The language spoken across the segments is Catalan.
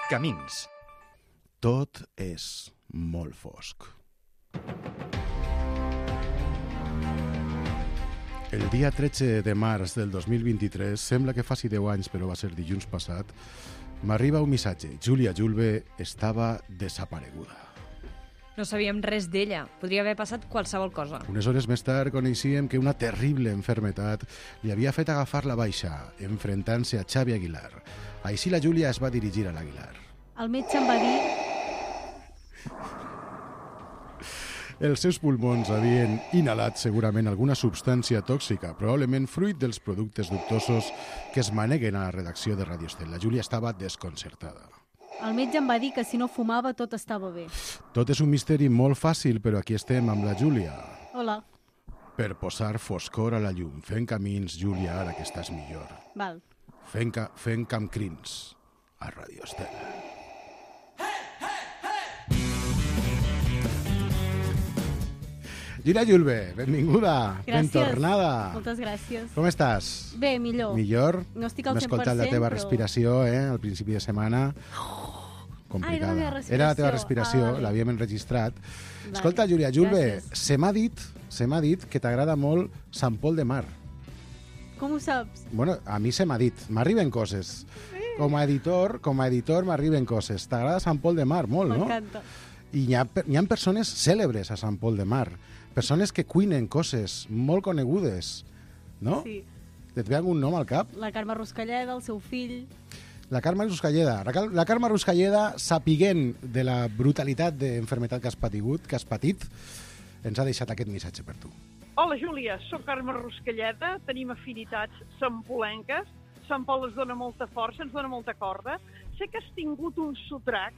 Camins. Tot és molt fosc. El dia 13 de març del 2023, sembla que faci 10 anys, però va ser dilluns passat, m'arriba un missatge. Júlia Julve estava desapareguda. No sabíem res d'ella. Podria haver passat qualsevol cosa. Unes hores més tard coneixíem que una terrible enfermetat li havia fet agafar la baixa, enfrontant-se a Xavi Aguilar. Així la Júlia es va dirigir a l'Aguilar. El metge em va dir... Els seus pulmons havien inhalat segurament alguna substància tòxica, probablement fruit dels productes dubtosos que es maneguen a la redacció de Radio Estel. La Júlia estava desconcertada. El metge em va dir que si no fumava tot estava bé. Tot és un misteri molt fàcil, però aquí estem amb la Júlia. Hola. Per posar foscor a la llum. Fent camins, Júlia, ara que estàs millor. Val. Fent camcrins a Radio Estel. Júlia Julve, benvinguda. Gràcies. Ben tornada. Moltes gràcies. Com estàs? Bé, millor. Millor? No estic al 100%, M'he escoltat la teva però... respiració, al principi de setmana. Complicada. era la meva respiració. Era la teva respiració, vale. l'havíem enregistrat. Vale. Escolta, Júlia Julve, Gràcies. se m'ha dit que t'agrada molt Sant Pol de Mar. Com ho saps? Bueno, a mi se m'ha dit, m'arriben coses. Com a editor m'arriben coses. T'agrada Sant Pol de Mar molt, no? M'encanta. I hi ha persones cèlebres a Sant Pol de Mar. Persones que cuinen coses molt conegudes, no? Sí. Et ve algun nom al cap? La Carme Ruscalleda, el seu fill... La Carme Ruscalleda. La Carme Ruscalleda, sapiguent de la brutalitat d'enfermetat que has patit, ens ha deixat aquest missatge per tu. Hola, Júlia, soc Carme Ruscalleda, tenim afinitats sampolenques, Sant Pol ens dona molta força, ens dona molta corda. Sé que has tingut un sotrac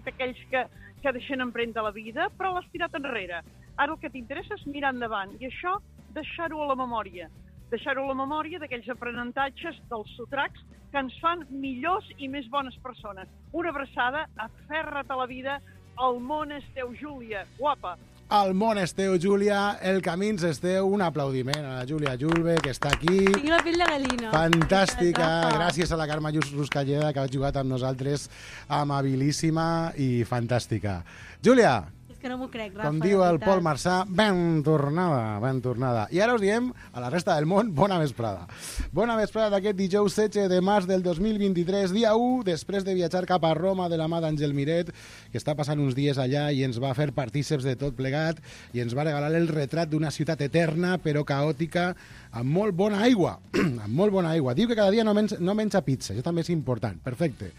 d'aquells que deixen empremta a la vida, però l'has tirat enrere. Ara el que t'interessa és mirar endavant, i això deixar-ho a la memòria. Deixar-ho a la memòria d'aquells aprenentatges dels sotracs que ens fan millors i més bones persones. Una abraçada, aferra't a la vida, el món és teu, Júlia, guapa. El món és teu, Júlia, el camins és teu. Un aplaudiment a la Júlia Julve, que està aquí. Tinc la pell de gallina. Fantàstica. Etapa. Gràcies a la Carme Ruscalleda, que ha jugat amb nosaltres, amabilíssima i fantàstica. Júlia, És que no m'ho crec, Rafa. com diu de el veritat. Pol Marçà, ben tornada, ben tornada. I ara us diem, a la resta del món, bona vesprada. Bona vesprada d'aquest dijous 16 de març del 2023, dia 1, després de viatjar cap a Roma de la mà d'Àngel Miret, que està passant uns dies allà i ens va fer partíceps de tot plegat i ens va regalar el retrat d'una ciutat eterna, però caòtica, amb molt bona aigua. Amb molt bona aigua. Diu que cada dia no menja pizza, això també és important. Perfecte.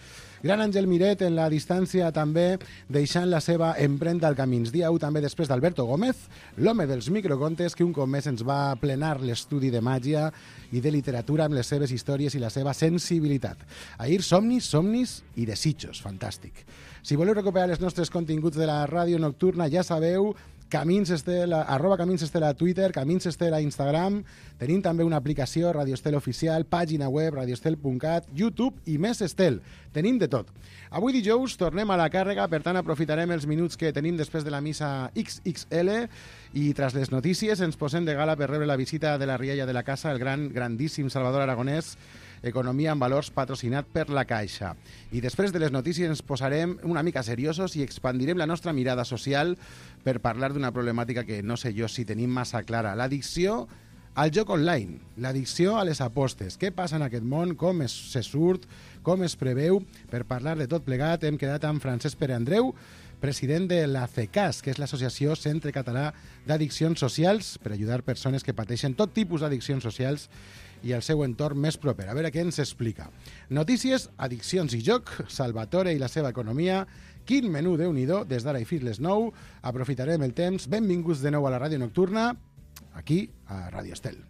Gran Àngel Miret en la distància també deixant la seva empremta al camins. Dia 1 també després d'Alberto Gómez, l'home dels microcontes que un cop més ens va plenar l'estudi de màgia i de literatura amb les seves històries i la seva sensibilitat. Ahir somnis i desitjos. Fantàstic. Si voleu recuperar els nostres continguts de la ràdio nocturna, ja sabeu, Camins Estel, @Camins Estel a Twitter, Camins Estel a Instagram. Tenim també una aplicació, Radio Estel Oficial, pàgina web, radioestel.cat, YouTube i més Estel. Tenim de tot. Avui dijous tornem a la càrrega, per tant aprofitarem els minuts que tenim després de la missa XXL i tras les notícies ens posem de gala per rebre la visita de la rialla de la casa, el grandíssim Salvador Aragonès, Economia en Valors, patrocinat per la Caixa. I després de les notícies ens posarem una mica seriosos i expandirem la nostra mirada social per parlar d'una problemàtica que no sé jo si tenim massa clara. L'addicció al joc online, l'addicció a les apostes. Què passa en aquest món? Com se surt? Com es preveu? Per parlar de tot plegat hem quedat amb Francesc Pere Andreu, president de la CECAS, que és l'Associació Centre Català d'Addiccions Socials, per ajudar persones que pateixen tot tipus d'addiccions socials i el seu entorn més proper. A veure què ens explica. Notícies, addiccions i joc, Salvatore i la seva economia. Quin menú, Déu-n'hi-do, des d'ara i fins les 9. Aprofitarem el temps. Benvinguts de nou a la ràdio nocturna, aquí a Ràdio Estel.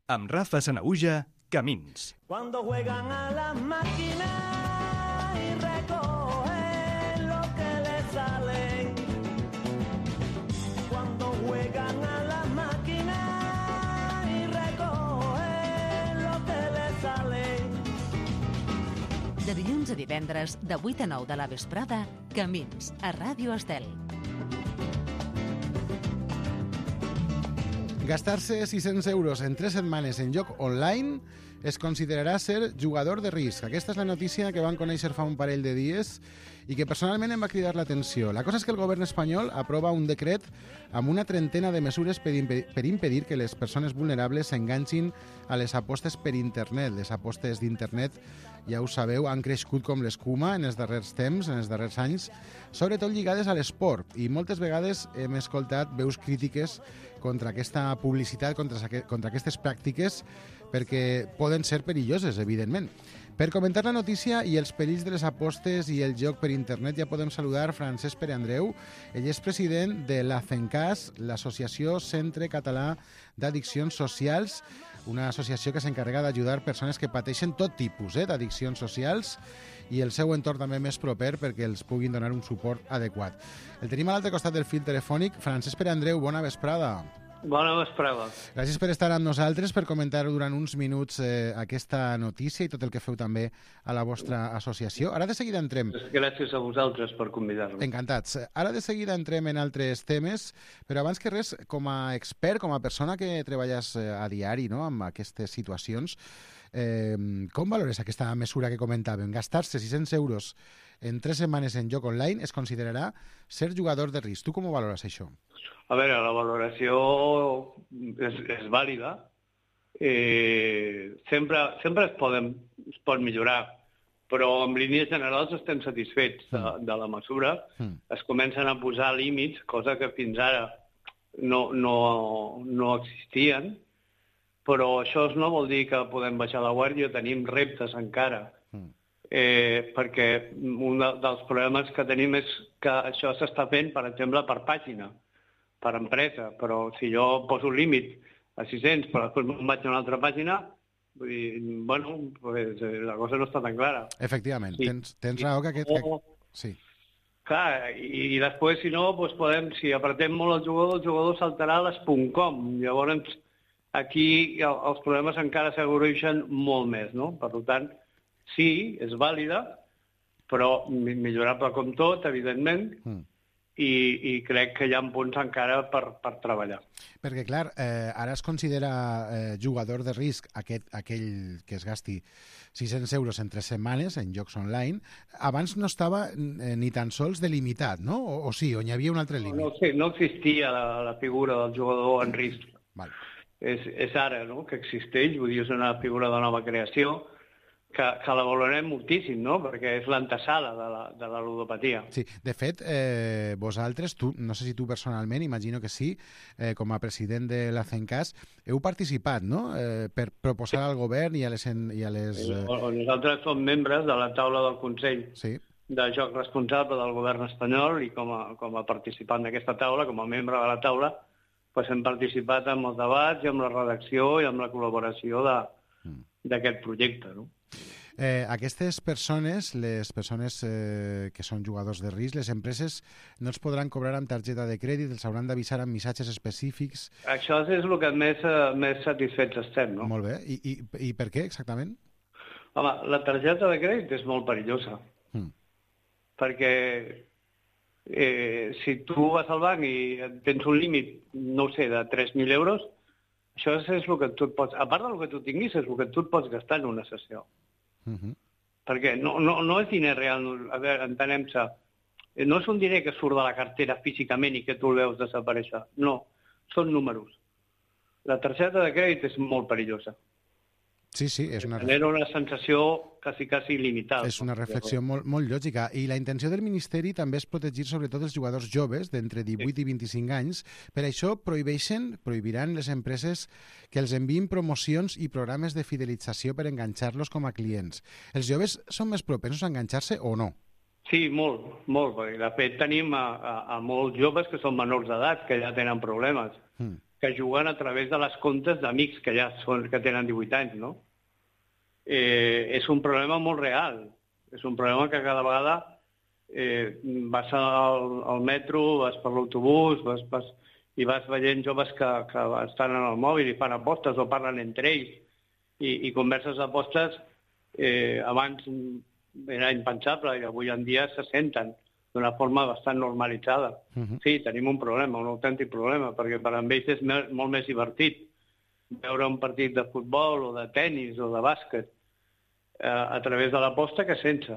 Amb Rafa Sanahuja, Camins. Cuando juegan a la máquina y recogen lo que les sale. Cuando juegan a la máquina y recogen lo que les sale. De dilluns a divendres, de 8 a 9 de la vesprada, Camins, a Ràdio Estel. Gastar-se 600 euros en 3 setmanes en joc online es considerarà ser jugador de risc. Aquesta és la notícia que van conèixer fa un parell de dies i que personalment em va cridar l'atenció. La cosa és que el govern espanyol aprova un decret amb una trentena de mesures per impedir que les persones vulnerables s'enganxin a les apostes per internet. Les apostes d'internet, ja ho sabeu, han crescut com l'escuma en els darrers temps, en els darrers anys, sobretot lligades a l'esport. I moltes vegades hem escoltat veus crítiques contra aquesta publicitat, contra aquestes pràctiques, perquè poden ser perilloses, evidentment. Per comentar la notícia i els perills de les apostes i el joc per internet ja podem saludar Francesc Pere Andreu. Ell és president de l'ACENCAS, l'Associació Centre Català d'Addiccions Socials, una associació que s'encarrega d'ajudar persones que pateixen tot tipus d'addiccions socials i el seu entorn també més proper perquè els puguin donar un suport adequat. El tenim a l'altre costat del fil telefònic. Francesc Pere Andreu, bona vesprada. Bona vesprada. Gràcies per estar amb nosaltres, per comentar durant uns minuts aquesta notícia i tot el que feu també a la vostra associació. Ara de seguida entrem... Gràcies a vosaltres per convidar-me. Encantats. Ara de seguida entrem en altres temes, però abans que res, com a expert, com a persona que treballes a diari, no?, amb aquestes situacions, com valores aquesta mesura que comentàvem? Gastar-se 600 euros en 3 setmanes en joc online es considerarà ser jugador de risc. Tu com ho valores, això? A veure, la valoració és vàlida. Sempre es pot millorar, però en línies generals estem satisfets de la mesura. Es comencen a posar límits, cosa que fins ara no existien, però això no vol dir que podem baixar la guàrdia, tenim reptes encara. Perquè un dels problemes que tenim és que això s'està fent, per exemple, per pàgina, per empresa, però si jo poso un límit a 600, però després me'n vaig a una altra pàgina, vull dir, bueno, pues, la cosa no està tan clara. Efectivament, tens raó que aquest... Sí. Clar, i després, si no, doncs podem, si apretem molt el jugador saltarà a les .com. Llavors, aquí els problemes encara s'agreugen molt més, no? Per tant, sí, és vàlida, però millorable com tot, evidentment, i crec que hi ha punts encara per treballar. Perquè, clar, ara es considera jugador de risc aquell que es gasti 600 euros en 3 setmanes en jocs online. Abans no estava ni tan sols delimitat, no? O sí, on hi havia un altre límit? No existia la figura del jugador en risc. Val. És ara, no?, que existeix, vull dir, és una figura de nova creació, que la valorem moltíssim, no?, perquè és l'antesala de la ludopatia. Sí, de fet, vosaltres, no sé si tu personalment, imagino que sí, com a president de l'ACENCAS, heu participat, no?, per proposar al govern i a les... Nosaltres som membres de la taula del Consell de Joc Responsable del govern espanyol i com a participant d'aquesta taula, com a membre de la taula, hem participat en els debats i amb la redacció i amb la col·laboració d'aquest projecte, no? Aquestes persones, les persones que són jugadors de risc, les empreses no els podran cobrar amb targeta de crèdit, els hauran d'avisar amb missatges específics. Això és el que més satisfets estem, no? Molt bé. I per què, exactament? Home, la targeta de crèdit és molt perillosa. Perquè si tu vas al banc i tens un límit, no ho sé, de 3.000 euros, això és el que tu et pots... A part del que tu tinguis, és el que tu et pots gastar en una sessió. Perquè no és diner real, a veure, entenem-se, no és un diner que surt de la cartera físicament i que tu el veus desaparèixer, no, són números. La targeta de crèdit és molt perillosa. Sí, és una... Genera una sensació quasi limitada. És una reflexió molt lògica. I la intenció del Ministeri també és protegir sobretot els jugadors joves d'entre 18 i 25 anys. Per això prohibiran les empreses que els enviïn promocions i programes de fidelització per enganxar-los com a clients. Els joves són més propensos a enganxar-se o no? Sí, molt. De fet, tenim a molts joves que són menors d'edat, que ja tenen problemes. Que juguen a través de les comptes d'amics que que tenen 18 anys, no? És un problema molt real. És un problema que cada vegada vas al metro, vas per l'autobús, i vas veient joves que estan en el mòbil i fan apostes o parlen entre ells i converses d'apostes abans era impensable i avui en dia se senten. d'una forma bastant normalitzada. Sí, tenim un problema, un autèntic problema, perquè per a ells és molt més divertit veure un partit de futbol o de tennis o de bàsquet a través de l'aposta que sense.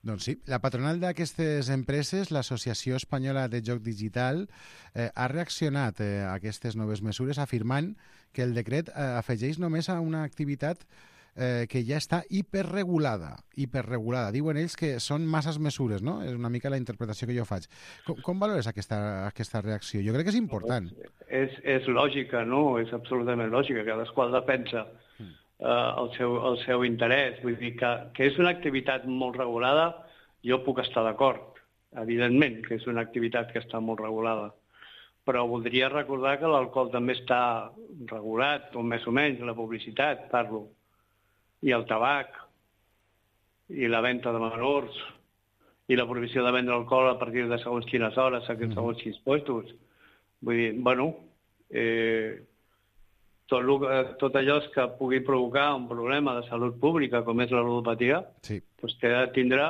Doncs sí, la patronal d'aquestes empreses, l'Associació Espanyola de Joc Digital, ha reaccionat a aquestes noves mesures afirmant que el decret afegeix només a una activitat que ja està hiperregulada. Diuen ells que són masses mesures, no? És una mica la interpretació que jo faig. Com valores aquesta reacció? Jo crec que és important. És lògica, no? És absolutament lògica. Cadascú defensa el seu interès. Vull dir que és una activitat molt regulada, jo puc estar d'acord. Evidentment que és una activitat que està molt regulada. Però voldria recordar que l'alcohol també està regulat, o més o menys, la publicitat, parlo, i el tabac, i la venda de menors, i la prohibició de vendre alcohol a partir de segons quines hores, segons quins puestos. Vull dir, bueno, tot allò que pugui provocar un problema de salut pública, com és la ludopatia, doncs té de tindre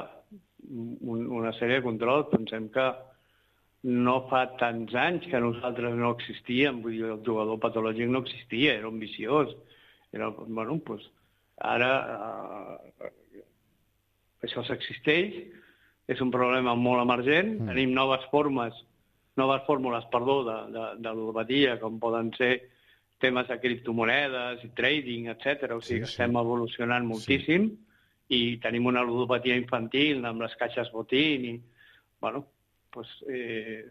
una sèrie de controls. Pensem que no fa tants anys que nosaltres no existíem, vull dir, el jugador patològic no existia, era un viciós. Bueno, doncs ara això s'existeix, és un problema molt emergent, tenim noves fórmules de ludopatia, com poden ser temes de criptomonedes, trading, etc. O sigui, estem evolucionant moltíssim i tenim una ludopatia infantil amb les caixes botín i, bueno, doncs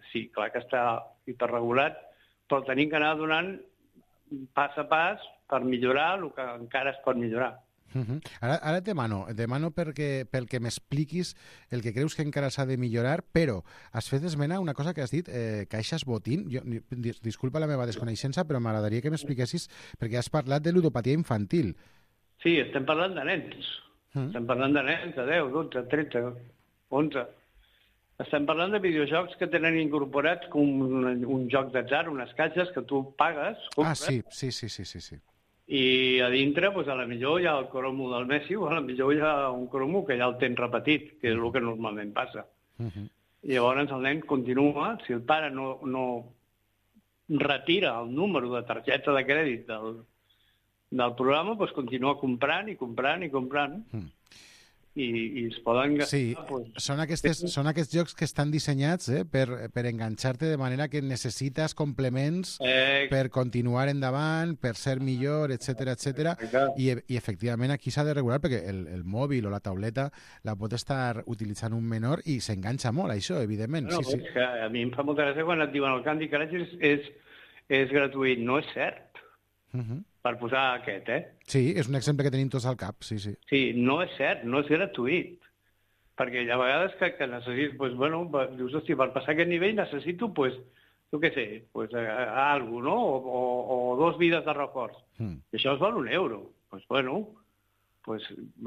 sí, clar que està hiperregulat, però tenim que anar donant pas a pas per millorar el que encara es pot millorar. Ara et demano pel que m'expliquis el que creus que encara s'ha de millorar, però has fet esmena a una cosa que has dit, caixes botín. Disculpa la meva desconeixença, però m'agradaria que m'expliquessis, perquè has parlat de ludopatia infantil. Sí, estem parlant de nens. Estem parlant de nens de 10, 12, 13, 11. Estem parlant de videojocs que tenen incorporats com un joc d'atzar, unes caixes que tu pagues, compres. Sí. I a dintre, doncs, a la millor hi ha el cromo del Messi o a la millor hi ha un cromo que ja el tens repetit, que és el que normalment passa. I llavors el nen continua, si el pare no retira el número de targeta de crèdit del programa, doncs continua comprant i comprant. I es poden gastar... Sí, són aquests jocs que estan dissenyats per enganxar-te de manera que necessites complements per continuar endavant, per ser millor, etc. I efectivament aquí s'ha de regular perquè el mòbil o la tauleta la pot estar utilitzant un menor i s'enganxa molt, això, evidentment. És que a mi em fa molta gràcia quan et diuen el Candy Crush és gratuït. No és cert. Per posar aquest, Sí, és un exemple que tenim tots al cap, sí. Sí, no és cert, no és gratuït. Perquè hi ha vegades que necessites, doncs, bueno, dius, hòstia, per passar aquest nivell necessito, doncs, jo què sé, alguna cosa, no? O 2 vides de reforç. I això es val €1. Doncs, bueno,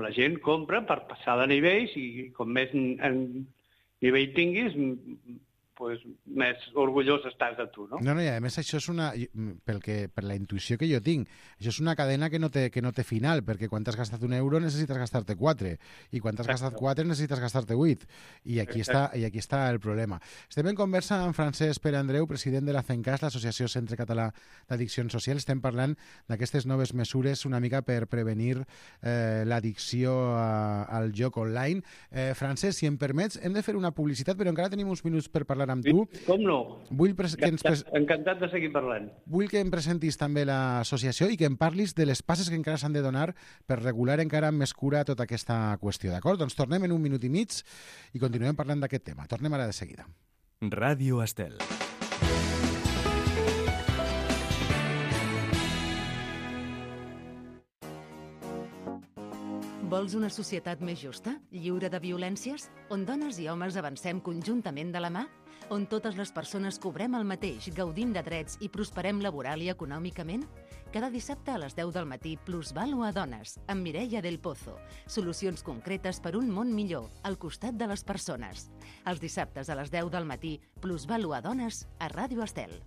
la gent compra per passar de nivells i com més nivell tinguis, més orgullós estàs de tu, no? No, i a més això és per la intuïció que jo tinc, això és una cadena que no té final, perquè quan t'has gastat €1 necessites gastar-te 4, i quan t'has gastat 4 necessites gastar-te 8, i aquí està el problema. Estem en conversa amb Francesc Pere Andreu, president de la CENCAS, l'Associació Centre Català d'Addiccions Socials. Estem parlant d'aquestes noves mesures una mica per prevenir l'addicció al joc online. Francesc, si em permets, hem de fer una publicitat, però encara tenim uns minuts per parlar amb tu. Com no? Encantat de seguir parlant. Vull que em presentis també l'associació i que em parlis de les passes que encara s'han de donar per regular encara amb més cura tota aquesta qüestió, d'acord? Doncs tornem en 1 minut i mig i continuem parlant d'aquest tema. Tornem ara de seguida. Ràdio Estel. Vols una societat més justa, lliure de violències, on dones i homes avancem conjuntament de la mà? On totes les persones cobrem el mateix, gaudim de drets i prosperem laboral i econòmicament? Cada dissabte a les 10 del matí, Plusvalua a Dones, amb Mireia del Pozo. Solucions concretes per un món millor, al costat de les persones. Els dissabtes a les 10 del matí, Plusvalua a Dones, a Ràdio Estel.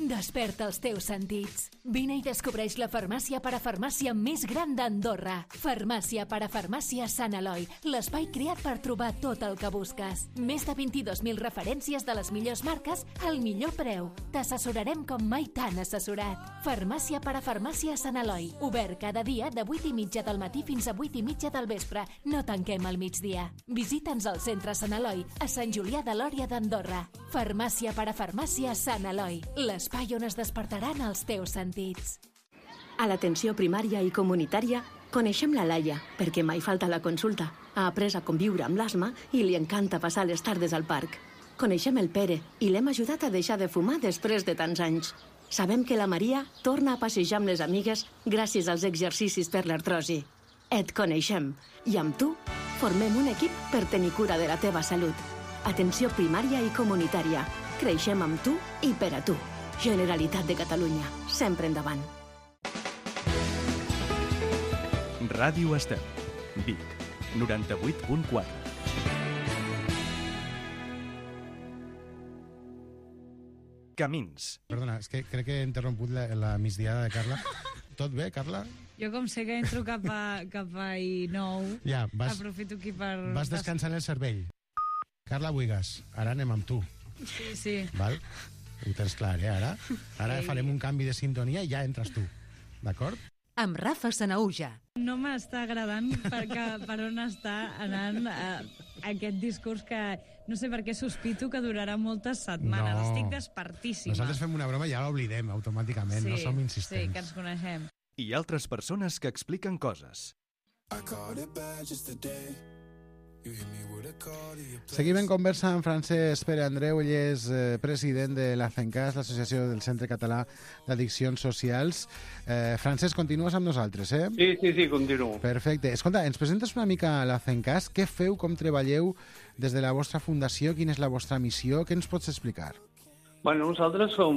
Desperta els teus sentits. Vine i descobreix la farmàcia parafarmàcia més gran d'Andorra. Farmàcia parafarmàcia Sant Eloi, l'espai creat per trobar tot el que busques. Més de 22.000 referències de les millors marques al millor preu. T'assessorarem com mai t'han assessorat. Farmàcia parafarmàcia Sant Eloi, obert cada dia de 8:30 del matí fins a 8:30 del vespre. No tanquem al migdia. Visita'ns al centre Sant Eloi, a Sant Julià de Lòria d'Andorra. Farmàcia parafarmàcia Sant Eloi, l'espai on es despertaran els teus sentits. A l'atenció primària i comunitària coneixem la Laia, perquè mai falta la consulta. Ha après a conviure amb l'asma i li encanta passar les tardes al parc. Coneixem el Pere i l'hem ajudat a deixar de fumar després de tants anys. Sabem que la Maria torna a passejar amb les amigues gràcies als exercicis per l'artrosi. Et coneixem i amb tu formem un equip per tenir cura de la teva salut. Atenció primària i comunitària. Creixem amb tu i per a tu. Generalitat de Catalunya. Sempre endavant. Ràdio Estel. Vic. 98.4. Camins. Perdona, és que crec que he interromput la migdiada de Carla. Tot bé, Carla? Jo, com sé que entro cap a I9, Ja, aprofito aquí per... vas descansant el cervell. Carla Buigas, ara anem amb tu. Sí. Val? Ho tens clar, Ara farem un canvi de sintonia i ja entres tu. D'acord? Amb Rafa Sanauja. No m'està agradant per on està anant aquest discurs que no sé per què sospito que durarà moltes setmanes. No. Estic despertíssima. Nosaltres fem una broma i ja l'oblidem automàticament, no som insistents. Sí, que ens coneixem. I altres persones que expliquen coses. Seguim en conversa amb Francesc Pere Andreu. Ell és president de l'ACENCAS, l'Associació del Centre Català d'Addiccions Socials. Francesc, continues amb nosaltres, eh? Sí, continuo. Perfecte. Escolta, ens presentes una mica l'ACENCAS. Què feu, com treballeu des de la vostra fundació? Quina és la vostra missió? Què ens pots explicar? Bueno, nosaltres som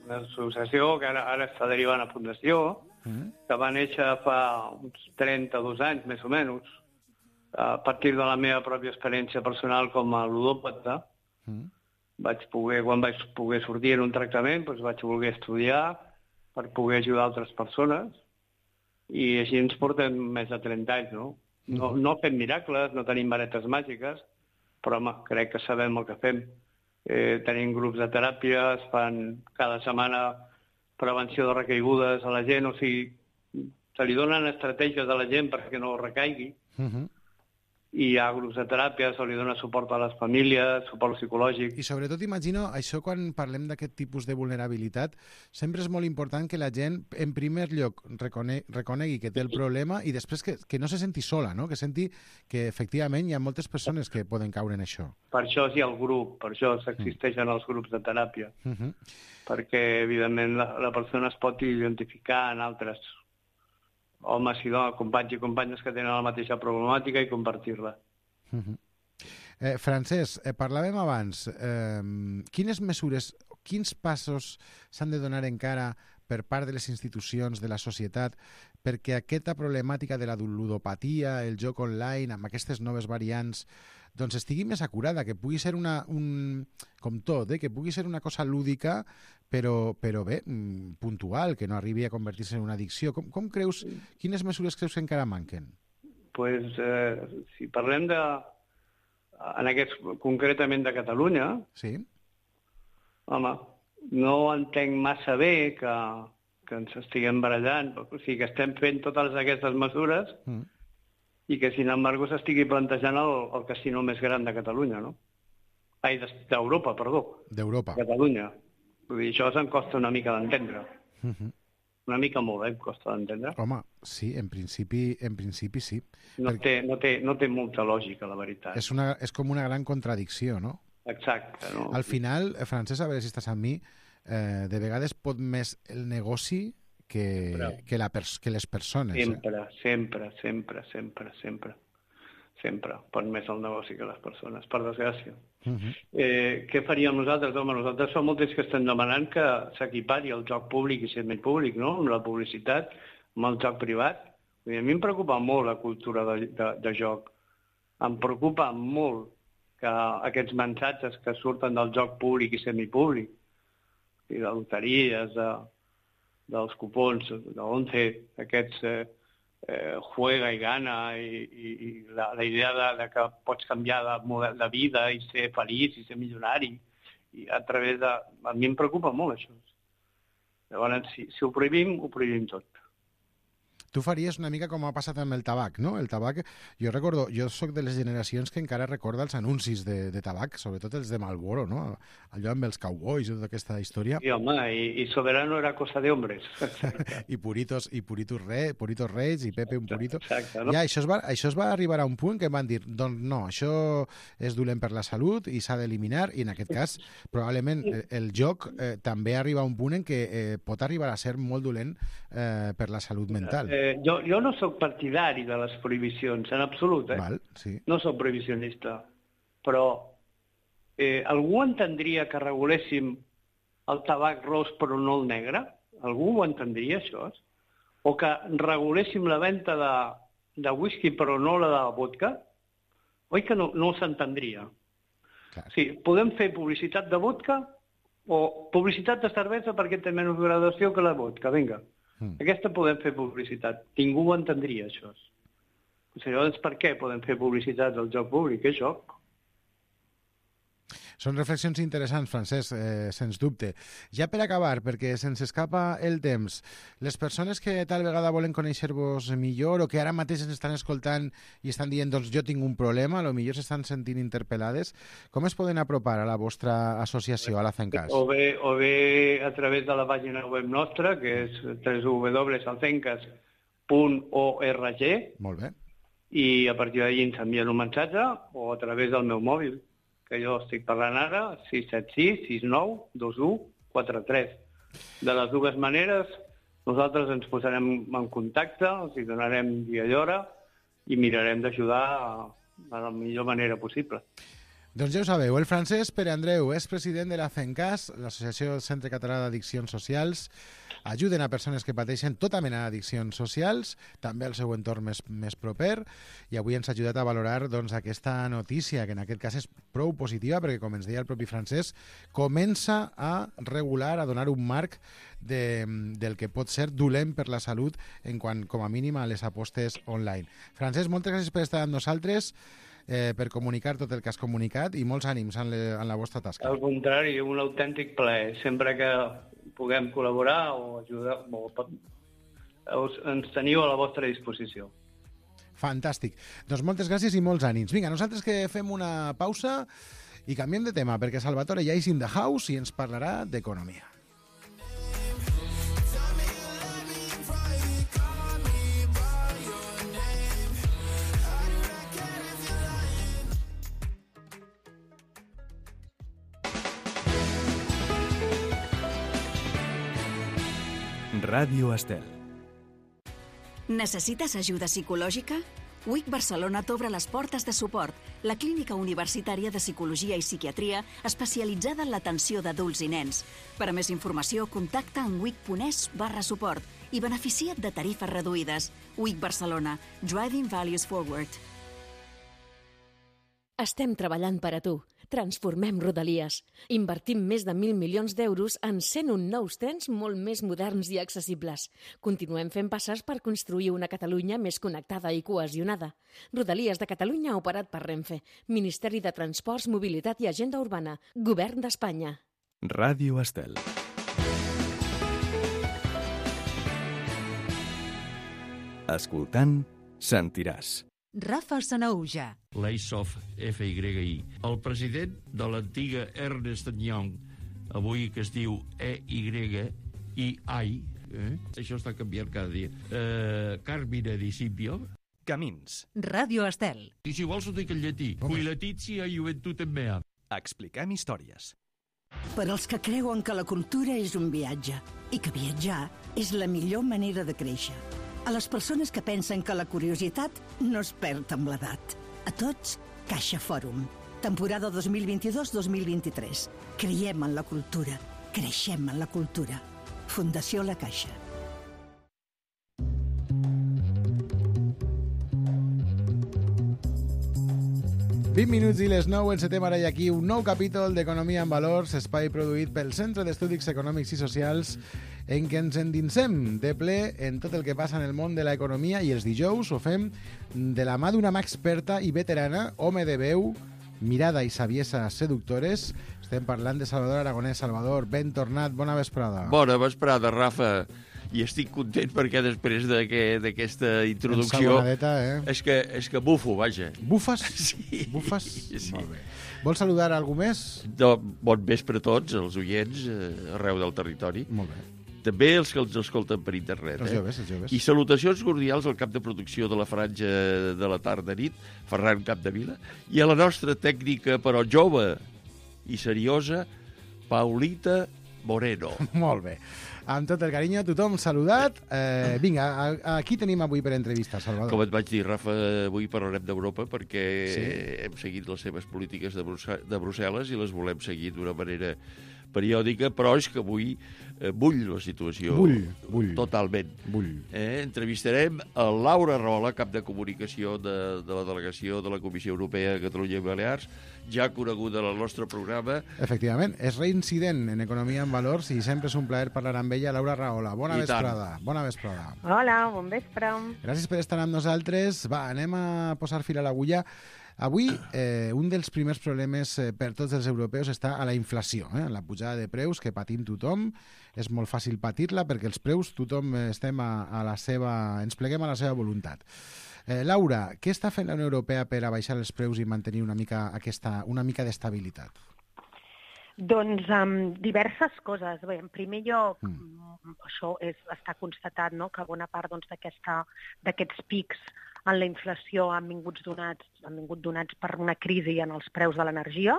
una associació que ara està derivant a fundació, que va néixer fa uns 32 anys, més o menys, a partir de la meva pròpia experiència personal com a ludòpata. Quan vaig poder sortir en un tractament, doncs vaig voler estudiar per poder ajudar altres persones, i així ens portem més de 30 anys, no? No fem miracles, no tenim varetes màgiques, però home, crec que sabem el que fem. Tenim grups de teràpia, es fan cada setmana prevenció de recaigudes a la gent, o sigui, se li donen estratègies a la gent perquè no recaigui, i hi ha grups de teràpia, se li dona suport a les famílies, suport psicològic. I sobretot imagino, això quan parlem d'aquest tipus de vulnerabilitat, sempre és molt important que la gent, en primer lloc, reconegui que té el problema i després que no se senti sola, no? Que senti que efectivament hi ha moltes persones que poden caure en això. Per això hi ha el grup, per això existeixen els grups de teràpia, perquè evidentment la persona es pot identificar en altres homes i dones, companys i companyes que tenen la mateixa problemàtica i compartir-la. Francesc, parlàvem abans, quines mesures, quins passos s'han de donar encara per part de les institucions, de la societat, perquè aquesta problemàtica de la ludopatia, el joc online, amb aquestes noves variants, doncs estigui més acurada, que pugui ser com tot, que pugui ser una cosa lúdica, però bé, puntual, que no arribi a convertir-se en una addicció. Com creus, quines mesures creus que encara manquen? Pues, si parlem concretament de Catalunya, sí. Home, no entenc massa bé que ens estiguem barallant, o sigui, que estem fent totes aquestes mesures i que, sin embargo, s'estigui plantejant el casino més gran de Catalunya, no? D'Europa, perdó. D'Europa. Catalunya. Vull dir, això se'm costa una mica d'entendre. Una mica molt, em costa d'entendre. Home, sí, en principi sí. No té molta lògica, la veritat. És com una gran contradicció, no? Exacte. No? Al final, Francesc, a veure si estàs amb mi, de vegades pot més el negoci que les persones. Sempre. Pot més el negoci que les persones, per desgràcia. Què faríem nosaltres? Home, nosaltres som molts que estem demanant que s'equipari el joc públic i semipúblic, no? Amb la publicitat, amb el joc privat. A mi em preocupa molt la cultura de joc. Em preocupa molt que aquests mensatges que surten del joc públic i semipúblic, i de loteries, dels cupons de 11, aquests juega i gana, i la idea de que pots canviar de model de vida i ser feliç i ser milionari, i a través de... A mi em preocupa molt això. Llavors, si ho prohibim tot. Tu faries una mica com ha passat amb el tabac, no? El tabac, jo soc de les generacions que encara recorda els anuncis de tabac, sobretot els de Marlboro, no? Allò amb els cowboys i tota aquesta història. I home, i Soberano era cosa de hombres. I Puritos Reis, i Pepe un Purito. Exacte, no? Ja, això es va arribar a un punt que van dir, doncs no, això és dolent per la salut i s'ha d'eliminar, i en aquest cas, probablement, el joc també arriba a un punt en què pot arribar a ser molt dolent per la salut mental. Jo no sóc partidari de les prohibicions, en absolut, Val, sí. No sóc prohibicionista, però algú entendria que reguléssim el tabac ros però no el negre? Algú ho entendria, això? O que reguléssim la venda de whisky però no la de vodka? Oi que no s'entendria? Sí, podem fer publicitat de vodka o publicitat de cervesa perquè té menys graduació que la vodka, vinga. Aquesta podem fer publicitat. Ningú ho entendria, això. Llavors, per què podem fer publicitat del joc públic? És joc. Són reflexions interessants, Francesc, sens dubte. Ja per acabar, perquè se'ns escapa el temps, les persones que tal vegada volen conèixer-vos millor o que ara mateix ens estan escoltant i estan dient, doncs jo tinc un problema, potser s'estan sentint interpel·lades, com es poden apropar a la vostra associació, a la FENCAS? O bé a través de la pàgina web nostra, que és www.alfencas.org. Molt bé. I a partir d'allí ens envien un missatge, o a través del meu mòbil, que jo estic parlant ara, 676-69-2143. De les dues maneres, nosaltres ens posarem en contacte, els hi donarem dia i hora i mirarem d'ajudar de la millor manera possible. Doncs ja ho sabeu, el Francesc Pere Andreu és president de la FENCAS, l'Associació del Centre Català d'Addiccions Socials. Ajuden a persones que pateixen tota mena d'addiccions socials, també al seu entorn més proper, i avui ens ha ajudat a valorar doncs, aquesta notícia, que en aquest cas és prou positiva, perquè, com ens deia el propi Francesc, comença a regular, a donar un marc del que pot ser dolent per la salut en quant, com a mínim, a les apostes online. Francesc, moltes gràcies per estar amb nosaltres, per comunicar tot el que has comunicat, i molts ànims en la vostra tasca. Al contrari, un autèntic plaer. Sempre que puguem col·laborar o ajudar, ens teniu a la vostra disposició. Fantàstic. Doncs moltes gràcies i molts ànims. Vinga, nosaltres que fem una pausa i canviem de tema, perquè Salvatore ja és in the house i ens parlarà d'economia. Ràdio Estel. Necessites ajuda psicològica? WIC Barcelona t'obre les portes de Suport, la clínica universitària de psicologia i psiquiatria especialitzada en l'atenció d'adults i nens. Per a més informació, contacta en wic.es/suport i beneficia't de tarifes reduïdes. WIC Barcelona. Driving Values Forward. Estem treballant per a tu. Transformem Rodalies. Invertim més de 1.000 milions d'euros en 101 nous trens molt més moderns i accessibles. Continuem fent passes per construir una Catalunya més connectada i cohesionada. Rodalies de Catalunya operat per Renfe. Ministeri de Transports, Mobilitat i Agenda Urbana. Govern d'Espanya. Ràdio Estel. Escoltant, sentiràs. Rafa Sanaúja. L'Asof FYI. El president de l'antiga Ernst & Young, avui que es diu EYI, això està canviant cada dia, Carmine Di Scipio. Camins. Ràdio Estel. I si vols ho dic en llatí. Qui Letizia Juventutem mea. Expliquem històries. Per als que creuen que la cultura és un viatge i que viatjar és la millor manera de créixer. A les persones que pensen que la curiositat no es perd amb l'edat. A tots, Caixa Fòrum. Temporada 2022-2023. Creiem en la cultura. Creixem en la cultura. Fundació La Caixa. 20 minuts i les 9, encetem ara i aquí un nou capítol d'Economia en Valors, espai produït pel Centre d'Estudis Econòmics i Socials, en què ens endinsem de ple en tot el que passa en el món de l'economia, i els dijous ho fem de la mà d'una mà experta i veterana, home de veu, mirada i saviesa seductores. Estem parlant de Salvador Aragonès. Salvador, ben tornat, bona vesprada. Bona vesprada, Rafa. I estic content perquè després d'aquesta introducció... És que bufo, vaja. Bufes? Sí. Bufes? Sí. Molt bé. Vols saludar algú més? Bon vespre a tots, els oients, arreu del territori. Molt bé. També els que ens escolten per internet. Els joves, els joves. I salutacions cordials al cap de producció de la franja de la tarda-nit, Ferran Capdevila, i a la nostra tècnica, però jove i seriosa, Paulita Moreno. Molt bé. Amb tot el carinyo, tothom saludat. Vinga, aquí tenim avui per entrevista, Salvador. Com et vaig dir, Rafa, avui parlarem d'Europa perquè hem seguit les seves polítiques de Brussel·les i les volem seguir d'una manera periòdica, però és que avui bull la situació. Bull. Totalment. Bull. Entrevistarem a Laura Rola, cap de comunicació de la delegació de la Comissió Europea a Catalunya i Balears, ja coneguda en el nostre programa. Efectivament, és reincident en Economia en Valors i sempre és un plaer parlar amb ella. Laura Rahola, bona vesprada. Bona vesprada. Hola, bon vespre. Gràcies per estar amb nosaltres. Va, anem a posar fil a l'agulla. Avui, un dels primers problemes per tots els europeus està a la inflació, la pujada de preus que patim tothom. És molt fàcil patir-la perquè els preus tothom estem ens pleguem a la seva voluntat. Laura, què està fent la Unió Europea per abaixar els preus i mantenir una mica d'estabilitat? Doncs diverses coses. Bé, en primer lloc, això està constatat, no?, que bona part d'aquests pics en la inflació han vingut donats per una crisi en els preus de l'energia.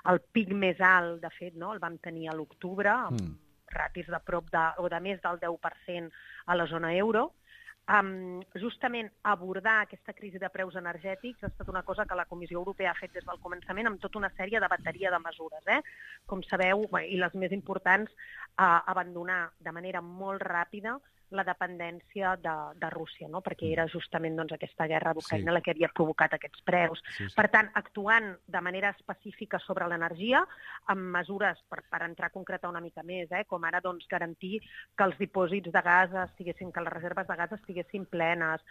El pic més alt, de fet, no?, el vam tenir a l'octubre, amb ratis de prop de més del 10% a la zona euro. Justament abordar aquesta crisi de preus energètics ha estat una cosa que la Comissió Europea ha fet des del començament amb tota una sèrie de bateria de mesures. Com sabeu, i les més importants, abandonar de manera molt ràpida la dependència de Rússia, no?, perquè era justament aquesta guerra d'Ucraïna la que havia provocat aquests preus. Per tant, actuant de manera específica sobre l'energia, amb mesures, per entrar a concretar una mica més, com ara garantir que els dipòsits de gas que les reserves de gas estiguessin plenes,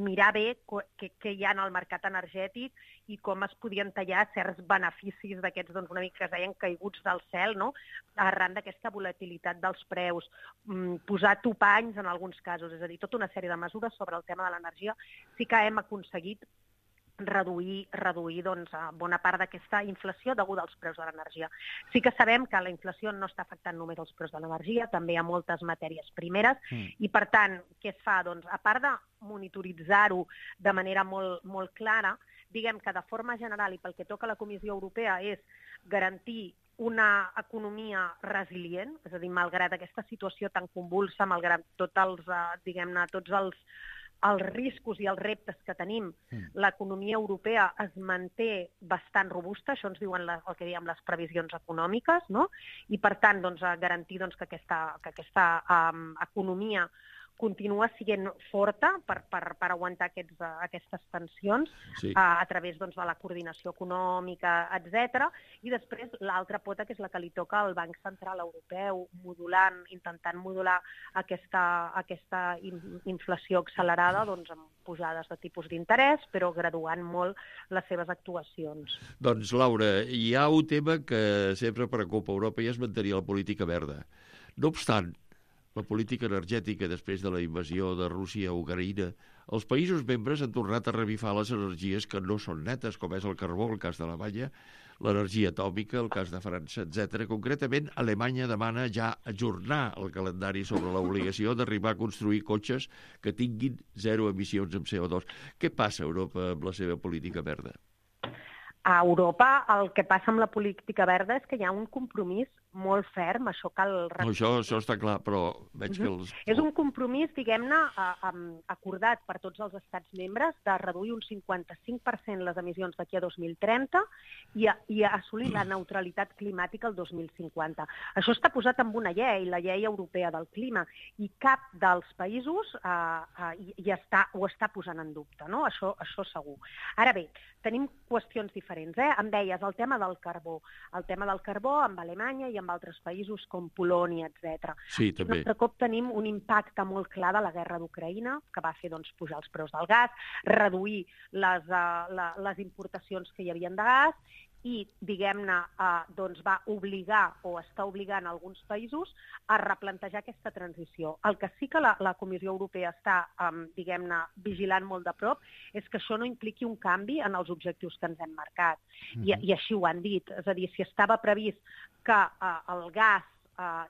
mirar bé què hi ha en el mercat energètic i com es podien tallar certs beneficis d'aquests, una mica que es deien caiguts del cel, no?, arran d'aquesta volatilitat dels preus, posar topanys en alguns casos, és a dir, tota una sèrie de mesures sobre el tema de l'energia. Sí que hem aconseguit reduir bona part d'aquesta inflació deguda als preus de l'energia. Sí que sabem que la inflació no està afectant només els preus de l'energia, també hi ha moltes matèries primeres i, per tant, què es fa? Doncs, a part de monitoritzar-ho de manera molt, molt clara, diguem que de forma general i pel que toca a la Comissió Europea és garantir una economia resilient, és a dir, malgrat aquesta situació tan convulsa, malgrat tots els riscos i els reptes que tenim, l'economia europea es manté bastant robusta, això ens diuen el que diem les previsions econòmiques, no? I per tant, garantir que aquesta economia continua sent forta per aguantar aquestes tensions a través de la coordinació econòmica, etc. I després l'altra pota, que és la que li toca al Banc Central Europeu, intentant modular aquesta inflació accelerada amb pujades de tipus d'interès, però graduant molt les seves actuacions. Doncs, Laura, hi ha un tema que sempre preocupa Europa i és mantenir la política verda. No obstant, la política energètica després de la invasió de Rússia a Ucraïna, els països membres han tornat a revifar les energies que no són netes, com és el carbó, el cas d'Alemanya, l'energia atòmica, el cas de França, etc. Concretament, Alemanya demana ja ajornar el calendari sobre l'obligació d'arribar a construir cotxes que tinguin zero emissions amb CO2. Què passa a Europa amb la seva política verda? A Europa el que passa amb la política verda és que hi ha un compromís molt ferm, això cal... No, això està clar, però veig que els... És un compromís, diguem-ne, acordat per tots els estats membres de reduir un 55% les emissions d'aquí a 2030 i assolir la neutralitat climàtica el 2050. Això està posat en una llei, la llei europea del clima, i cap dels països ho està posant en dubte, no? Això segur. Ara bé, tenim qüestions diferents. Em deies el tema del carbó. El tema del carbó amb Alemanya i amb altres països com Polònia, etc. Sí, també. Un altre cop tenim un impacte molt clar de la guerra d'Ucraïna, que va fer pujar els preus del gas, reduir les importacions que hi havia de gas i, diguem-ne, va obligar o està obligant alguns països a replantejar aquesta transició. El que sí que la Comissió Europea està, diguem-ne, vigilant molt de prop és que això no impliqui un canvi en els objectius que ens hem marcat. I així ho han dit. És a dir, si estava previst que el gas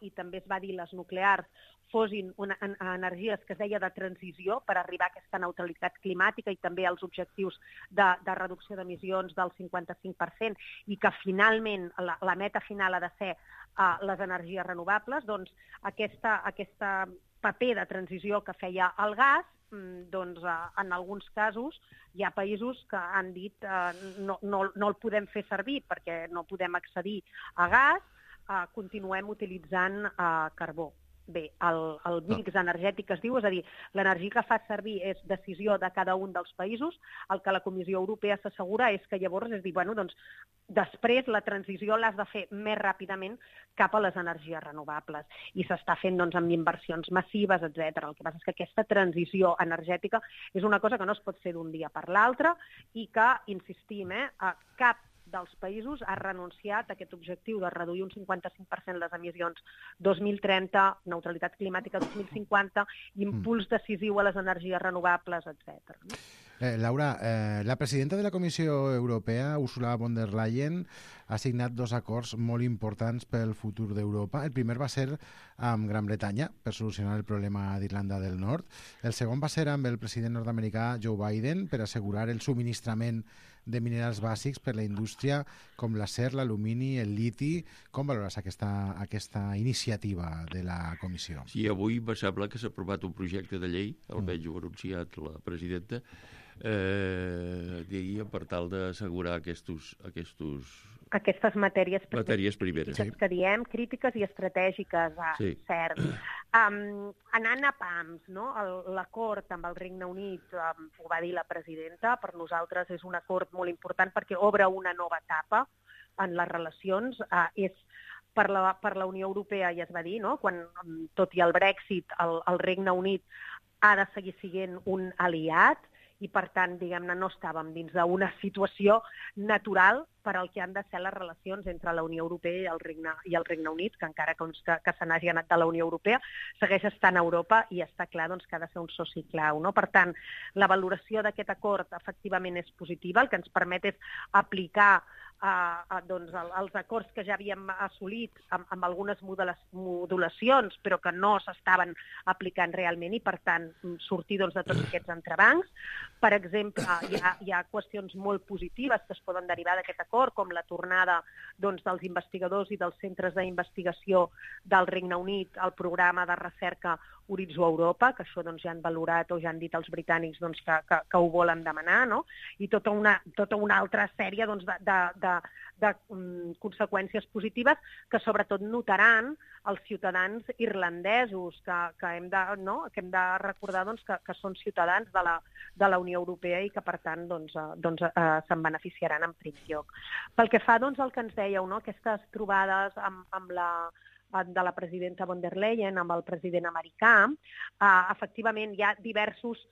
i també es va dir les nuclears fossin energies que es deia de transició per arribar a aquesta neutralitat climàtica i també als objectius de reducció d'emissions del 55% i que finalment la meta final ha de ser les energies renovables, doncs aquesta paper de transició que feia el gas, doncs en alguns casos hi ha països que han dit no el podem fer servir perquè no podem accedir a gas, continuem utilitzant carbó. Bé, el mix energètic es diu, és a dir, l'energia que fa servir és decisió de cada un dels països, el que la Comissió Europea s'assegura és que llavors és dir, bueno, doncs després la transició l'has de fer més ràpidament cap a les energies renovables i s'està fent doncs amb inversions massives, etc. El que passa és que aquesta transició energètica és una cosa que no es pot fer d'un dia per l'altre i que, insistim, cap dels països ha renunciat a aquest objectiu de reduir un 55% les emissions 2030, neutralitat climàtica 2050, impuls decisiu a les energies renovables, etc. Laura, la presidenta de la Comissió Europea, Ursula von der Leyen, ha signat 2 acords molt importants pel futur d'Europa. El primer va ser amb Gran Bretanya, per solucionar el problema d'Irlanda del Nord. El segon va ser amb el president nord-americà Joe Biden per assegurar el subministrament de minerals bàsics per la indústria com l'acer, l'alumini, el liti. Com valores aquesta iniciativa de la Comissió? Sí, avui me sembla que s'ha aprovat un projecte de llei, almenys ho ha anunciat la presidenta, diria per tal d'assegurar aquestes matèries primeres, que diem, crítiques i estratègiques, cert. Anant a pams, no? L'acord amb el Regne Unit, ho va dir la presidenta, per nosaltres és un acord molt important perquè obre una nova etapa en les relacions. És per la Unió Europea, ja es va dir, no? Quan, tot i el Brexit, el Regne Unit ha de seguir sent un aliat, i, per tant, diguem-ne, no estàvem dins d'una situació natural per al que han de ser les relacions entre la Unió Europea i el Regne Unit, que encara que se n'hagi anat de la Unió Europea, segueix estant a Europa i està clar doncs, que ha de ser un soci clau, no? Per tant, la valoració d'aquest acord efectivament és positiva, el que ens permet és aplicar doncs, els acords que ja havíem assolit amb algunes modulacions, però que no s'estaven aplicant realment i, per tant, sortir doncs, de tots aquests entrebancs. Per exemple, hi ha qüestions molt positives que es poden derivar d'aquest acord, com la tornada doncs, dels investigadors i dels centres d'investigació del Regne Unit al programa de recerca Horitzó Europa, que això doncs, ja han valorat o ja han dit els britànics doncs, que ho volen demanar, no? I tota una altra sèrie doncs, de conseqüències positives que sobretot notaran els ciutadans irlandesos que hem de recordar doncs, que són ciutadans de la Unió Europea i que per tant se'n beneficiaran en primer lloc. Pel que fa doncs, al que ens dèieu, no? Aquestes trobades de la presidenta von der Leyen amb el president americà, efectivament hi ha diversos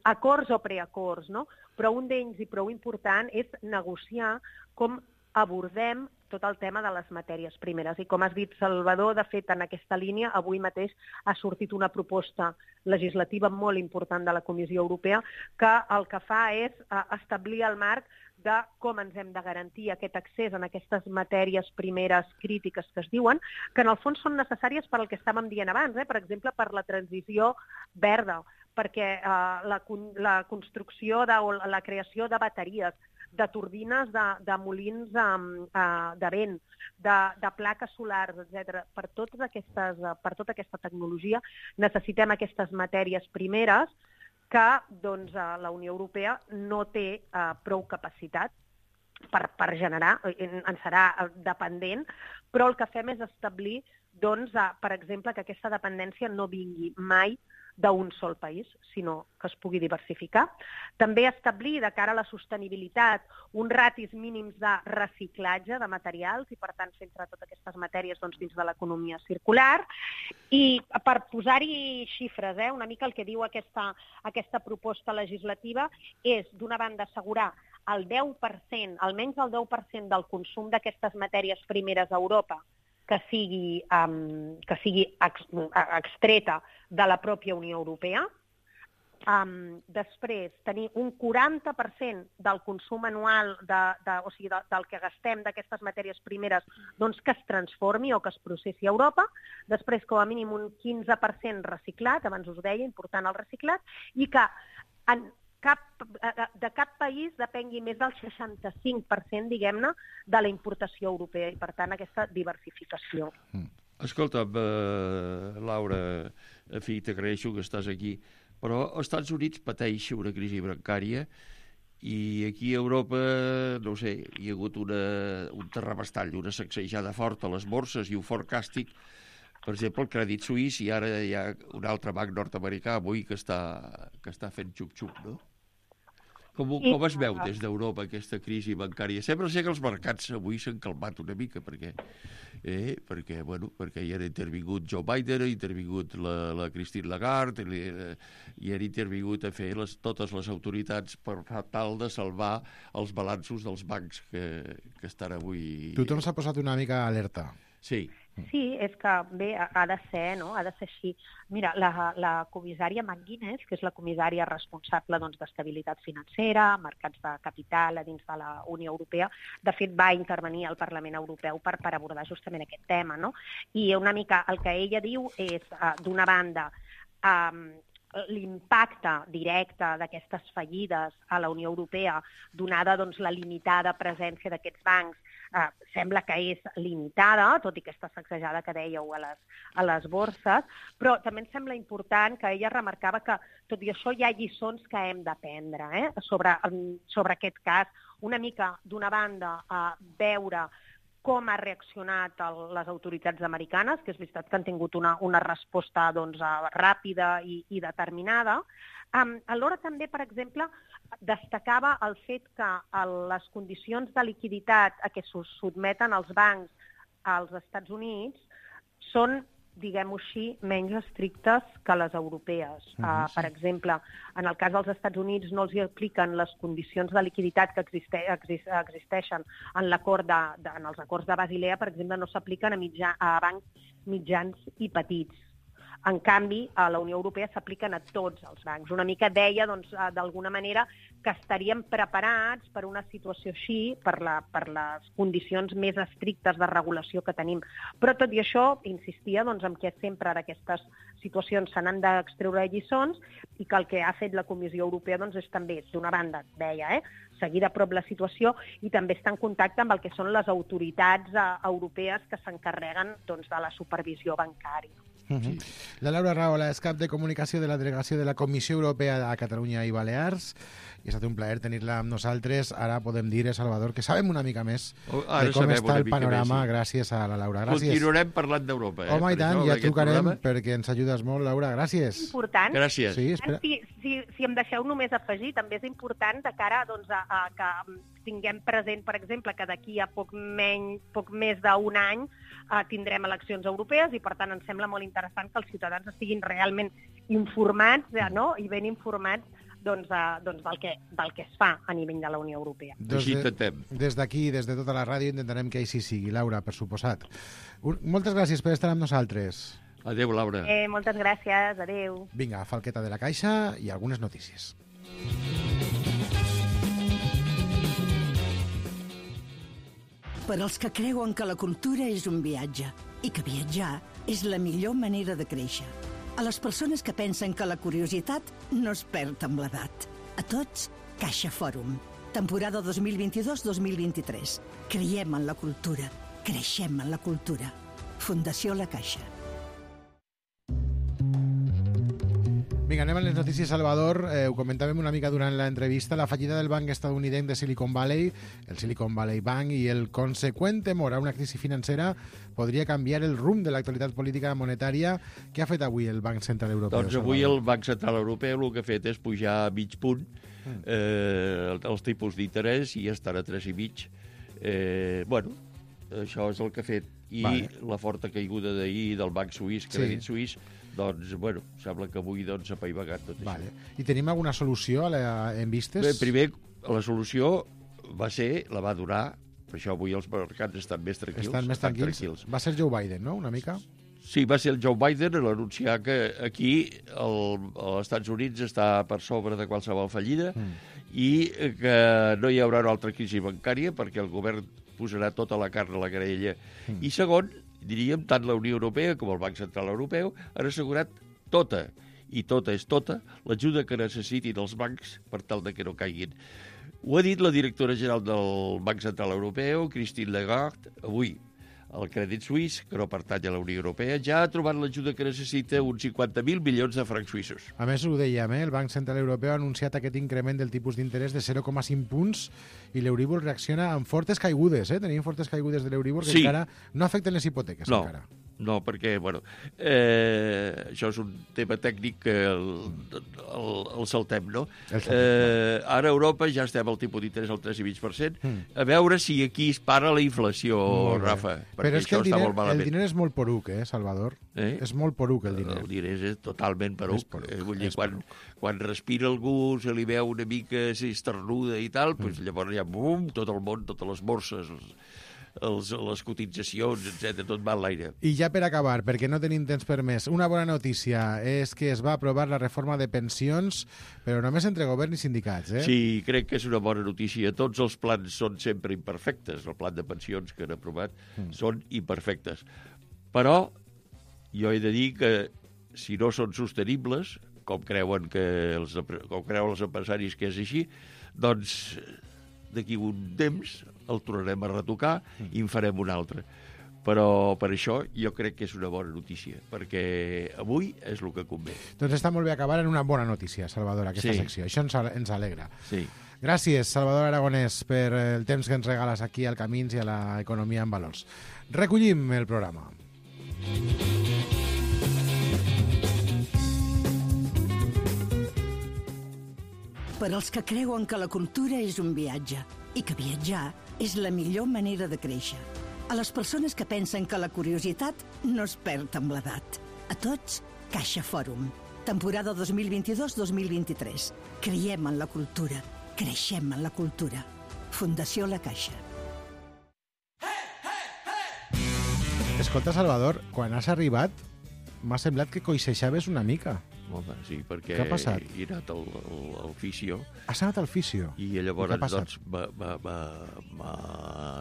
acords o preacords, no? Però un d'ells i prou important és negociar com abordem tot el tema de les matèries primeres. I com has dit, Salvador, de fet, en aquesta línia, avui mateix ha sortit una proposta legislativa molt important de la Comissió Europea que el que fa és establir el marc de com ens hem de garantir aquest accés en aquestes matèries primeres crítiques que es diuen, que en el fons són necessàries per al que estàvem dient abans, per exemple, per la transició verda, perquè la construcció o la creació de bateries, de turbines de molins de vent, de plaques solars, etc. Per tota aquesta tecnologia necessitem aquestes matèries primeres que doncs, la Unió Europea no té prou capacitat per generar, en serà dependent, però el que fem és establir, doncs, per exemple, que aquesta dependència no vingui mai d'un sol país, sinó que es pugui diversificar. També establir, de cara a la sostenibilitat, uns ratis mínims de reciclatge de materials i, per tant, centrar totes aquestes matèries doncs, dins de l'economia circular. I per posar-hi xifres, una mica el que diu aquesta proposta legislativa és, d'una banda, assegurar el 10%, almenys el 10% del consum d'aquestes matèries primeres a Europa que sigui extreta de la pròpia Unió Europea. Després, tenir un 40% del consum anual, o sigui, del que gastem d'aquestes matèries primeres, doncs que es transformi o que es processi a Europa. Després, com a mínim, un 15% reciclat, abans us deia, important el reciclat, i que de cap país depengui més del 65%, diguem-ne, de la importació europea i, per tant, aquesta diversificació. Escolta'm, Laura, en fi, t'agraeixo que estàs aquí, però els Estats Units pateix una crisi bancària i aquí a Europa, no sé, hi ha hagut un terrabastall, una sacsejada forta a les borses i un fort càstig. Per exemple, el Crèdit Suís, i ara hi ha un altre banc nord-americà avui que està fent xup-xup, no? Com es veu des d'Europa aquesta crisi bancària? Sembla ser que els mercats avui s'han calmat una mica, perquè hi han intervingut Joe Biden, ha intervingut la Christine Lagarde, i han intervingut a fer totes les autoritats per tal de salvar els balanços dels bancs que estan avui... Tothom s'ha posat una mica alerta. Sí. Sí, és que bé, ha de ser, no? Ha de ser així. Mira, la comissària McGuinness, que és la comissària responsable d'estabilitat financera, mercats de capital a dins de la Unió Europea, de fet va intervenir al Parlament Europeu per abordar justament aquest tema, no? I una mica el que ella diu és, d'una banda, l'impacte directe d'aquestes fallides a la Unió Europea, donada doncs, la limitada presència d'aquests bancs, sembla que és limitada, tot i aquesta sacsejada que dèieu a les borses, però també em sembla important que ella remarcava que, tot i això, hi ha lliçons que hem d'aprendre sobre aquest cas. Una mica, d'una banda, veure com ha reaccionat les autoritats americanes, que és veritat que han tingut una resposta ràpida i determinada. Alhora també, per exemple, destacava el fet que les condicions de liquiditat a què se sotmeten els bancs als Estats Units són, diguem-ho així, menys estrictes que les europees. Per exemple, en el cas dels Estats Units no els hi apliquen les condicions de liquiditat que existeixen en els acords de Basilea, per exemple, no s'apliquen a bancs mitjans i petits. En canvi, a la Unió Europea s'apliquen a tots els bancs. Una mica deia, d'alguna manera, que estaríem preparats per una situació així, per les condicions més estrictes de regulació que tenim. Però tot i això, insistia en que sempre d'aquestes situacions se n'han d'extreure lliçons i que el que ha fet la Comissió Europea és també, d'una banda, deia, seguir de prop la situació i també estar en contacte amb el que són les autoritats europees que s'encarreguen de la supervisió bancària. La Laura Rahola és cap de comunicació de la delegació de la Comissió Europea a Catalunya i Balears i ha estat un plaer tenir-la amb nosaltres. Ara podem dir, Salvador, que sabem una mica més de com està el panorama gràcies a la Laura. Gràcies. Continuarem parlant d'Europa. Home, i tant, ja trucarem perquè ens ajudes molt, Laura. Gràcies. Important. Gràcies. Sí, si em deixeu només afegir, també és important de cara a que tinguem present, per exemple, que d'aquí a poc més d'un any tindrem eleccions europees i, per tant, ens sembla molt interessant que els ciutadans estiguin realment informats i ben informats del que es fa a nivell de la Unió Europea. Des d'aquí, des de tota la ràdio, intentarem que així sigui. Laura, per suposat. Moltes gràcies per estar amb nosaltres. Adéu, Laura. Moltes gràcies, adéu. Vinga, falqueta de la caixa i algunes notícies. Per als que creuen que la cultura és un viatge i que viatjar és la millor manera de créixer. A les persones que pensen que la curiositat no es perd amb l'edat. A tots, Caixa Fòrum. Temporada 2022-2023. Creiem en la cultura. Creixem en la cultura. Fundació La Caixa. Vinga, anem a les notícies, Salvador. Ho comentàvem una mica durant l'entrevista. La fallida del banc estadounidense de Silicon Valley, el Silicon Valley Bank, i el conseqüent temor a una crisi financera podria canviar el rumb de l'actualitat política monetària. Què ha fet avui el Banc Central Europeu? Doncs avui el Banc Central Europeu el que ha fet és pujar a mig punt els tipus d'interès i estan a 3,5. Bueno, això és el que ha fet. I la forta caiguda d'ahir del banc suís, Crèdit Suís, doncs, bueno, sembla que avui s'ha apaivagat tot això. I tenim alguna solució en vistes? Bé, primer, la solució la va donar, per això avui els mercats estan més tranquils. Estan més tranquils. Va ser Joe Biden, no?, una mica? Sí, va ser el Joe Biden a l'anunciar que aquí als Estats Units està per sobre de qualsevol fallida i que no hi haurà una altra crisi bancària perquè el govern posarà tota la carn a la graella. I segon, diríem, tant la Unió Europea com el Banc Central Europeu han assegurat tota, i tota és tota, l'ajuda que necessitin els bancs per tal de que no caiguin. Ho ha dit la directora general del Banc Central Europeu, Christine Lagarde, avui. El Crèdit Suís, que no pertany a la Unió Europea, ja ha trobat l'ajuda que necessita uns 50.000 milions de francs suïssos. A més, ho dèiem, el Banc Central Europeu ha anunciat aquest increment del tipus d'interès de 0,5 punts i l'Euríbor reacciona amb fortes caigudes. Tenim fortes caigudes de l'Euríbor que encara no afecten les hipoteques. No, perquè, bueno, això és un tema tècnic que el saltem, no? Ara a Europa ja estem al tipus d'interès al 3,5%. A veure si aquí es para la inflació, Rafa, però és que el diner és molt poruc, Salvador? És molt poruc, el diner. El diner és totalment poruc. Vull dir, quan respira algú, se li veu una mica, s'esternuda i tal, llavors ja, bum, tot el món, totes les borses, les cotitzacions, etc., tot va a l'aire. I ja per acabar, perquè no tenim temps per més, una bona notícia és que es va aprovar la reforma de pensions, però només entre govern i sindicats, Sí, crec que és una bona notícia. Tots els plans són sempre imperfectes. El plan de pensions que han aprovat són imperfectes. Però jo he de dir que si no són sostenibles, com creuen els empresaris que és així, doncs d'aquí un temps el tornarem a retocar i en farem un altre. Però per això jo crec que és una bona notícia, perquè avui és el que convé. Doncs està molt bé acabar en una bona notícia, Salvador, aquesta secció. Això ens alegra. Sí. Gràcies, Salvador Aragonès, per el temps que ens regales aquí al Camins i a l'Economia en Valors. Recollim el programa. Per als que creuen que la cultura és un viatge i que viatjar és la millor manera de créixer. A les persones que pensen que la curiositat no es perd amb l'edat. A tots, Caixa Fòrum. Temporada 2022-2023. Creiem en la cultura. Creixem en la cultura. Fundació La Caixa. Escolta, Salvador, quan has arribat m'ha semblat que coixeixaves una mica. Home, sí, perquè què ha passat? He anat al fisio. Has anat al fisio? I llavors doncs, m'ha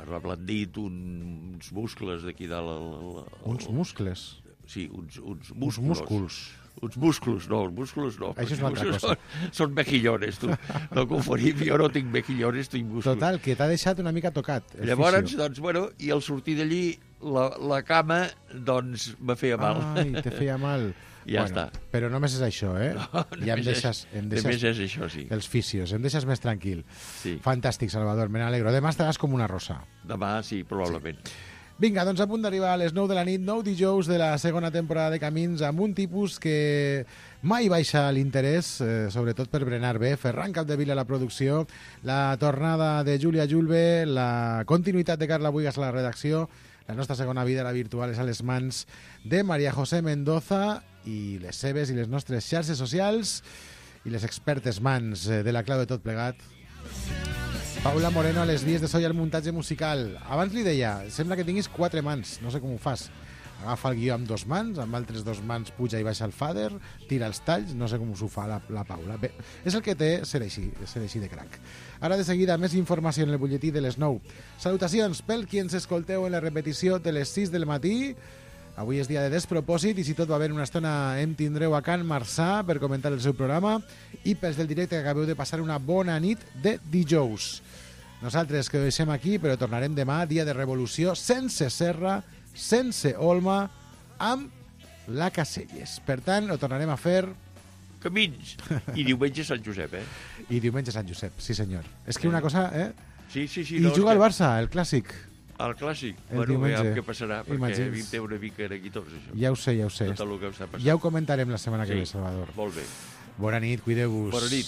reblandit uns muscles d'aquí dalt. Uns muscles? Sí, uns músculs. Uns músculs. Uns músculs, no, els músculs no. Això és una altra cosa. Són mejillones, tu. No confonim, jo no tinc mejillones, tinc músculs. Total, que t'ha deixat una mica tocat. Llavors, doncs, bueno, i al sortir d'allí, la cama, doncs, me feia mal. Ai, te feia mal. Ja està. Però només és això, No, ja em deixes només és això, sí. Els fisios, em deixes més tranquil. Sí. Fantàstic, Salvador, me n'alegro. Demà estaràs com una rosa. Demà, sí, probablement. Sí. Vinga, doncs a punt d'arribar a les 9 de la nit, 9 dijous de la segona temporada de Camins, amb un tipus que mai baixa l'interès, sobretot per berenar bé. Ferran Capdevila a la producció, la tornada de Júlia Julve, la continuïtat de Carla Buigas a la redacció, la nostra segona vida, la virtual, és a les mans de María José Mendoza i les seves i les nostres xarxes socials i les expertes mans de la clau de tot plegat. Paula Moreno a les vies de so i al muntatge musical. Abans li deia, sembla que tinguis 4 mans, no sé com ho fas. Agafa el guió amb 2 mans, amb altres 2 mans puja i baixa el fader, tira els talls, no sé com s'ho fa la Paula. Bé, és el que té ser així de crac. Ara de seguida, més informació en el butlletí de les 9. Salutacions pel qui ens escolteu en la repetició de les 6 del matí. Avui és dia de despropòsit i si tot va bé una estona em tindreu a Can Marçà per comentar el seu programa i pels del directe que acabeu de passar una bona nit de dijous. Nosaltres que ho deixem aquí, però tornarem demà, dia de revolució, sense Serra, sense Olma, amb la Caselles. Per tant, ho tornarem a fer... Camins. I diumenge Sant Josep, I diumenge Sant Josep, sí senyor. És que una cosa, Sí. I juga al Barça, el clàssic. El clàssic? El Bueno, diumenge. veiem què passarà, perquè Imagins. a mi em té una mica aquí tot això. Ja ho sé. Tot el que està passant. Ja ho comentarem la setmana que Sí, ve, Salvador. molt bé. Bona nit, cuideu-vos. Bona nit.